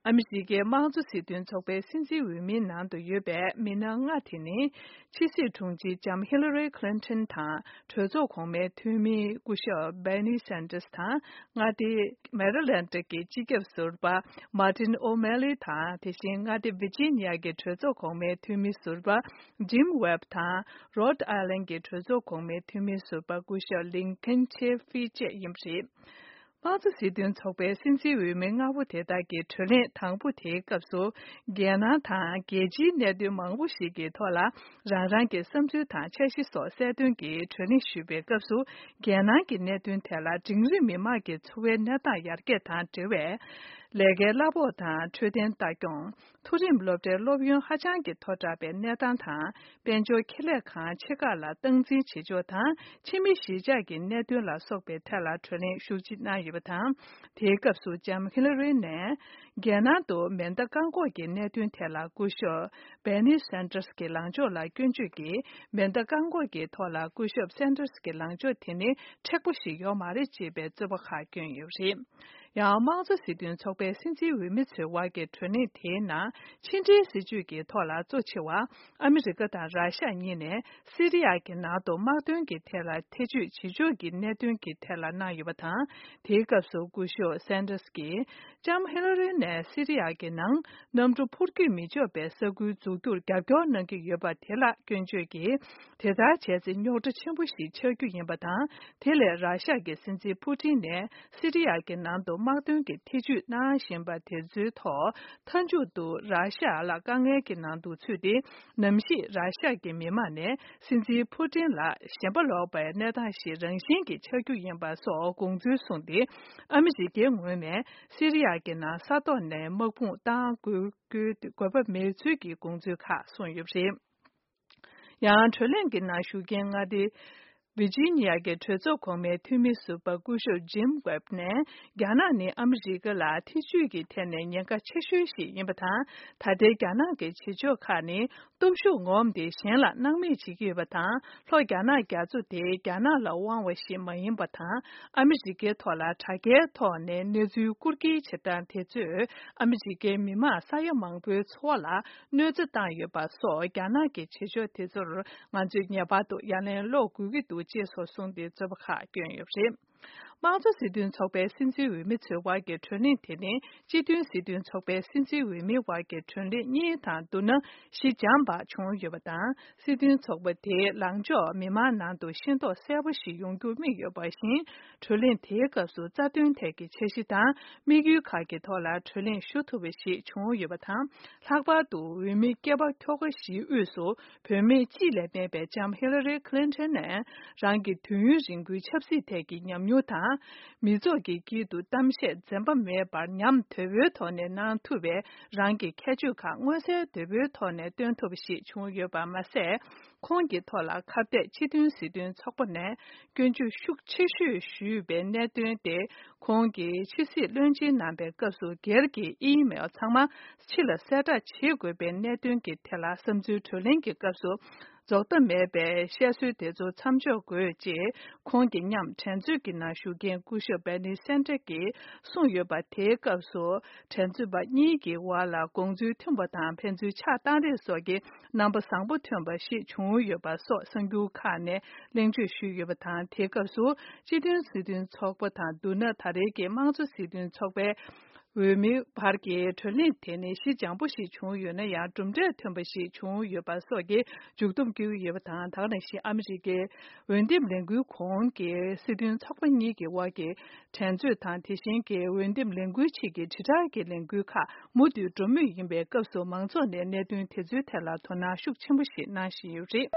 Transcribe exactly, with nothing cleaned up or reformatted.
ཨ་མི་རི་ཀའི་དམངས་གཙོ་སྲིད་དོན་ཚོགས་པའི་སྲིད་འཛིན་འོས་མིའི་ནང་དུ་ཡོད་པའི་མི་སྣ་ལྔ་དེ་ནི། ཕྱི་སྲིད་དྲུང་ཆེ་ལྕམ་ཧི་ལ་རི་ཁི་ལིན་ཏོན་དང་། གྲོས་ཚོགས་གོང་མའི་འཐུས་མི་སྐུ་ཞབས་བྷེ་ནི་སན་ཏར་སི་དང་། མངའ་སྡེ་མེ་རི་ལེན་ཌི་གི་སྤྱི་ཁྱབ་ཟུར་པ་མར་ཏིན་ཨོ་མེ་ལི་དང་། དེ་བཞིན་མངའ་སྡེ་ཝི་ཇི་ནི་ཡ་གི་གྲོས་ཚོགས་གོང་མའི་འཐུས་མི་ཟུར་པ་ཇིམ་ཝེབ་དང་། རོད་ཨའི་ལན་གྱི་གྲོས་ཚོགས་གོང་མའི་འཐུས་མི་ཟུར་པ་སྐུ་ཞབས་ལིན་ཁན་ཆེ་ཧྥི་བཅས་ཡིན་པ་རེད། དམངས་གཙོ་སྲིད་དོན་ཚོགས་པའི་སྲིད་འཛིན་འོས་མི་ལྔ་པོ་དེ་དག་གི་གྲོས་གླེང་དང་པོ་དེའི་སྐབས་སུ། རྒྱལ་ནང་དང་རྒྱལ་སྤྱིའི་གནད་དོན་མང་པོ་ཞིག་གི་ཐོག་ལ། རང་རང་གི་བསམ་ཚུལ་དང་འཆར་གཞི་སོགས་གསལ་སྟོན་གྱིས་གྲོས་གླེང་ཞུས་པའི་སྐབས་སུ། རྒྱལ་ནང་གི་གནད་དོན་ཐད་ལ། འབྲིང་རིམ་མི་མང་གི་འཚོ་བའི་གནས་སྟངས་ཡར་རྒྱས་དང་འབྲེལ་བའི་ལས་ཀའི་གླ་ཕོགས་དང་འཕྲོད་བསྟེན་ལྟ་སྐྱོང་། མཐོ་རིམ་སློབ་གྲྭའི་སློབ་ཡོན་ཧ་ཅང་གི་མཐོ་དྲགས་པའི་གནས་སྟངས་དང་། དཔལ་འབྱོར་ཁེ་ལས་ཁང་ཆེ་ཁག་ལ་སྟངས་འཛིན་བྱེད་ཕྱོགས་དང་། ཕྱི་མི་གཞིས་ཆགས་ཀྱི་གནད་དོན་ལ་སོགས་པའི་ཐད་ལ་གྲོས་གླེང་ཤུགས་ཆེ་གནང་ཡོད་པ་དང་། དེའི་སྐབས་སུ་ལྕམ་ཧི་ལ་རི་ནས། རྒྱལ་ནང་དུ་མེ་མདའ་བཀག་འགོག་གི་གནད་དོན་ཐད་ལ་སྐུ་ཞབས་བྷེ་ནི་སན་ཏར་སི་གི་ལངས་ཕྱོགས་ལ་སྐྱོན་བརྗོད་ཀྱིས། མེ་མདའ་བཀག་འགོག་གི་ཐོག་ལ་སྐུ་ཞབས་སན་ཏར་སི་གི་ལངས་ཕྱོགས་དེ་ནི་མཁྲེགས་པོ་ཞིག་ཡོད་མ་རེད་ཅེས་པའི་རྩོད་པ་ཁག་བསྐྱོན་ཡོད་པ་རེད། ཡང་། དམངས་གཙོ་སྲིད་དོན་ཚོགས་པའི་སྲིད་འཛིན་འོས་མི་ཚོའི་དབར་གྱི་གྲོས་གླེང་དེའི་ནང་། ཕྱི་འབྲེལ་སྲིད་ཇུས་ཀྱི་ཐོག་ལ་གཙོ་ཆེ་བ། ཨ་མི་རི་ཀ་དང་ར་ཤ་གཉིས་ནས་སི་རི་ཡ་གི་ནང་དུ་དམག་དོན་གྱི་ཐད་ལ་ཐེ་བྱུས་བྱེད་ཕྱོགས་ཀྱི་གནད་དོན་གྱི་ཐད་ལ་གནང་ཡོད་པ་དང་། དེའི་སྐབས་སུ་སྐུ་ཞབས་སན་ཏར་སི་ཀྱིས། ལྕམ་ཧི་ལ་རི་ནས་སི་རི་ཡ་གི་ནང་གནམ་གྲུ་འཕུར་སྐྱོད་མི་ཆོག་པའི་ས་ཁུལ་འཛུགས་རྒྱུར་རྒྱབ་སྐྱོར་གནང་གི་ཡོད་པ་དེ་ལ་སྐྱོན་བརྗོད་ཀྱིས། དེ་ལྟར་བྱས་ཚེ་རྙོག་དྲ་ཆེན་པོ་ཞིག་ཆགས་རྒྱུ་ཡིན་པ་དང་། དེ་ལས་ར་ཤ་གི་སྲིད་འཛིན་ཕུ་ཏིན་ནས་སི་རི་ཡ་གི་ནང་དུ་དམག་དོན་གྱི་ཐེ་བྱུས་གནང་བཞིན་པ་དེ་ཚོའི་ཐོག་མཐའ་མཇུག་ཏུ་ར་ཤ་ལ་དཀའ་ངལ་གྱི་ནང་དུ་ཚུད་དེ། ནམ་ཞིག་ར་ཤ་གི་མི་མང་ནས་སྲིད་འཛིན་ཕུ་ཏིན་ལ་ཞེན་པ་ལོག་པའི་གནས་སྟངས་ཤིག་རང་བཞིན་གྱིས་ཆགས་རྒྱུ་ཡིན་པ་སོགས་དགོངས་ཚུལ་གསུངས་ཏེ། ཨ་མི་རི་ཀའི་ངོས་ནས་སི་རི་ཡ་གི་ནང་ས་ཐོག་ནས་དམག་དཔུང་བཏང་དགོས་དགོས་པ་མེད་ཚུལ་གྱི་དགོངས་ཚུལ་ཁག་གསུངས་ཡོད་པ་རེད། ཡང་། གྲོས་གླེང་གི་ནང་ཞུགས་མཁན་མངའ་སྡེ་ཝི་ཇི་ནི་ཡ་གི་གྲོས་ཚོགས་གོང་མའི་འཐུས་མི་ཟུར་པ་སྐུ་ཞབས་ཇིམ་ཝེབ་ནས། རྒྱ་ནག་ནི་ཨ་མི་རི་ཀ་ལ་ཐེ་བྱུས་ཀྱི་ཐད་ནས་ཉེན་ཁ་ཆེ་ཤོས་ཤིག་ཡིན་པ་དང་། ད་ལྟའི་རྒྱ་ནག་གི་བྱེད་ཕྱོགས་ཁག་ནི་སྟོབས་ཤུགས་ངོམ་སྟེ་གཞན་ལ་སྣང་མེད་བྱེད་ཀྱི་ཡོད་པ་དང་། ལྷོ་རྒྱ་ནག་རྒྱ་མཚོ་དེ་རྒྱ་ནག་ལ་དབང་བ་ཞིག་མ་ཡིན་པ་དང་། ཨ་མི་རི་ཀའི་ཐོག་ལ་དྲ་རྒྱའི་ཐོག་ནས་གནས་ཚུལ་བསྐུར་སྐྱེལ་བྱེད་སྟངས་དེ་ཚོས་ཨ་མི་རི་ཀའི་མི་མང་ས་ཡ་མང་པོའི་འཚོ་བ་ལ་གནོད་འཚེ་བཏང་ཡོད་པ་སོགས། རྒྱ་ནག་གི་བྱེད་ཕྱོགས་དེ་ཚོར་ང་ཚོས་ངེས་པར་དུ་ཡ་ལན་སློག་དགོས་ཀྱི་འདུག་ཅེས་སོགས་གསུངས་ཏེ་རྩོད་པ་ཁག་བསྐྱོན་ཡོད་པ་རེད། དམངས་གཙོ་སྲིད་དོན་ཚོགས་པའི་སྲིད་འཛིན་འོས་མི་ཚོའི་དབར་གྱི་གྲོས་གླེང་དེ་ནི། སྤྱི་མཐུན་སྲིད་དོན་ཚོགས་པའི་སྲིད་འཛིན་འོས་མིའི་དབར་གྱི་གྲོས་གླེང་གཉིས་དང་བསྡུར་ན་ཞི་འཇམ་པ་བྱུང་ཡོད་པ་དང་། སྲིད་དོན་ཚོགས་པ་དེའི་ལངས་ཕྱོགས་མི་མང་ནང་དུ་ཤེས་རྟོགས་གསལ་པོ་ཞིག་ཡོང་རྒྱུ་དམིགས་ཡོད་པ་བཞིན། གྲོས་གླེང་དེའི་སྐབས་སུ་རྩ་དོན་ཐད་ཀྱི་འཆར་གཞི་དང་དམིགས་ཡུལ་ཁག་གི་ཐོག་ལ་གྲོས་གླེང་ཞུ་ཐུབ་པ་ཞིག་བྱུང་ཡོད་པ་དང་། ལྷག་པར་དུ་འོས་མི་སྐྱེས་པ་ཁྱོ་ག་བཞིའི་དབུས་སུ། བུད་མེད་གཅིག་ལས་མེད་པའི་ལྕམ་ཧི་ལ་རི་ཁི་ལིན་ཏོན་ནས། རང་གི་དུས་ཡུན་རིང་པོའི་ཆབ་སྲིད་ཐད་ཀྱི་ཉམས་མྱོང་དང་། མི་ཚོགས་ཀྱི་དཀྱིལ་དུ་གཏམ་བཤད་འཛེམ་པ་མེད་པར་ཉམས་དོད་པོའི་ཐོག་ནས་གནང་ཐུབ་པའི་རང་གི་ཁྱད་ཆོས་ཁག་མངོན་གསལ་དོད་པོའི་ཐོག་ནས་སྟོན་ཐུབ་པ་ཞིག་བྱུང་ཡོད་པ་མ་ཟད། ཁོང་གི་ཐོག་ལ་ཁ་གཏད་སྤྱི་མཐུན་སྲིད་དོན་ཚོགས་པ་ནས་སྐྱོན་བརྗོད་ཤུགས་ཆེ་ཤོས་ཞུས་པའི་གནད་དོན་དེ། ཁོང་གིས་ཕྱི་སྲིད་བློན་ཆེན་གནང་པའི་སྐབས་སུ་སྒེར་གྱི་ཨི་མེལ་ཚང་མ་ཕྱི་ལ་གསལ་བསྒྲགས་བྱེད་དགོས་པའི་གནད་དོན་གྱི་ཐད་ལ་བསམ་ཚུལ་གྲོས་གླེང་གི་སྐབས་སུ་རྫོགས་མཐའ་མེད་པའི་བཤད་སྲོལ་དེ་ཚོ་མཚམས་འཇོག་དགོས་ཅེས་ཁོང་གི་མཉམ་དྲན་གསོའི་གི་ནང་ཞུགས་མཁན་སྐུ་ཞབས་བེ་ནི་སན་ཏྲ་གིས་གསུངས་ཡོད་པ། དེའི་སྐབས་སུ་དྲན་གསོ་པ་གཉིས་ཀྱི་བར་ལ་དགོངས་ཚུལ་མཐུན་པ་དང་ཕན་ཚུན་ཆགས་སྡང་རེས་སོགས་ཀྱི་རྣམ་པ་བཟང་པོ་ཐོན་པ་ཞིག་བྱུང་ཡོད་པ་སོགས་གསར་འགྱུར་ཁག་ནས། གླེང་བརྗོད་ཞུས་ཡོད་པ་དང་། དེའི་སྐབས་སུ་སྤྱི་མཐུན་སྲིད་དོན་ཚོགས་པ་དང་བསྡུར་ན། ད་རེས་ཀྱི་དམངས་གཙོ་སྲིད་དོན་ཚོགས་པའི་འོས་མིའི་བར་གྱི་གྲོས་གླེང་དེ་ནི་ཞི་འཇམ་པོ་ཞིག་བྱུང་ཡོད་ན་ཡང་། གྲུབ་འབྲས་ཐོན་པ་ཞིག་བྱུང་ཡོད་པ་སོགས་ཀྱི་མཇུག་སྡོམ་བསྐྱོན་ཡོད་པ་དང་། ད་ག་ནང་བཞིན་ཨ་མི་རི་ཀའི་འོས་འདེམས་ལས་འགུལ་གོང་གི་སྲིད་དོན་ཚོགས་པ་གཉིས་ཀྱི་དབར་གྱི་འགྲན་རྩོད་དང་། དེ་བཞིན་གྱི་འོས་འདེམས་ལས་འགུལ་ཆེད་ཀྱི་དྲིལ་བསྒྲགས་ཀྱི་ལས་འགུལ་ཁག་མུ་མཐུད་འགྲོ་མུས་ཡིན་པའི་སྐབས་སུ། མང་ཚོགས་ནས་གནད་དོན་དེ་ཚོའི་ཐད་ལ་དོ་སྣང་ཤུགས་ཆེན་པོ་ཞིག་གནང་བཞིན་ཡོད་རེད།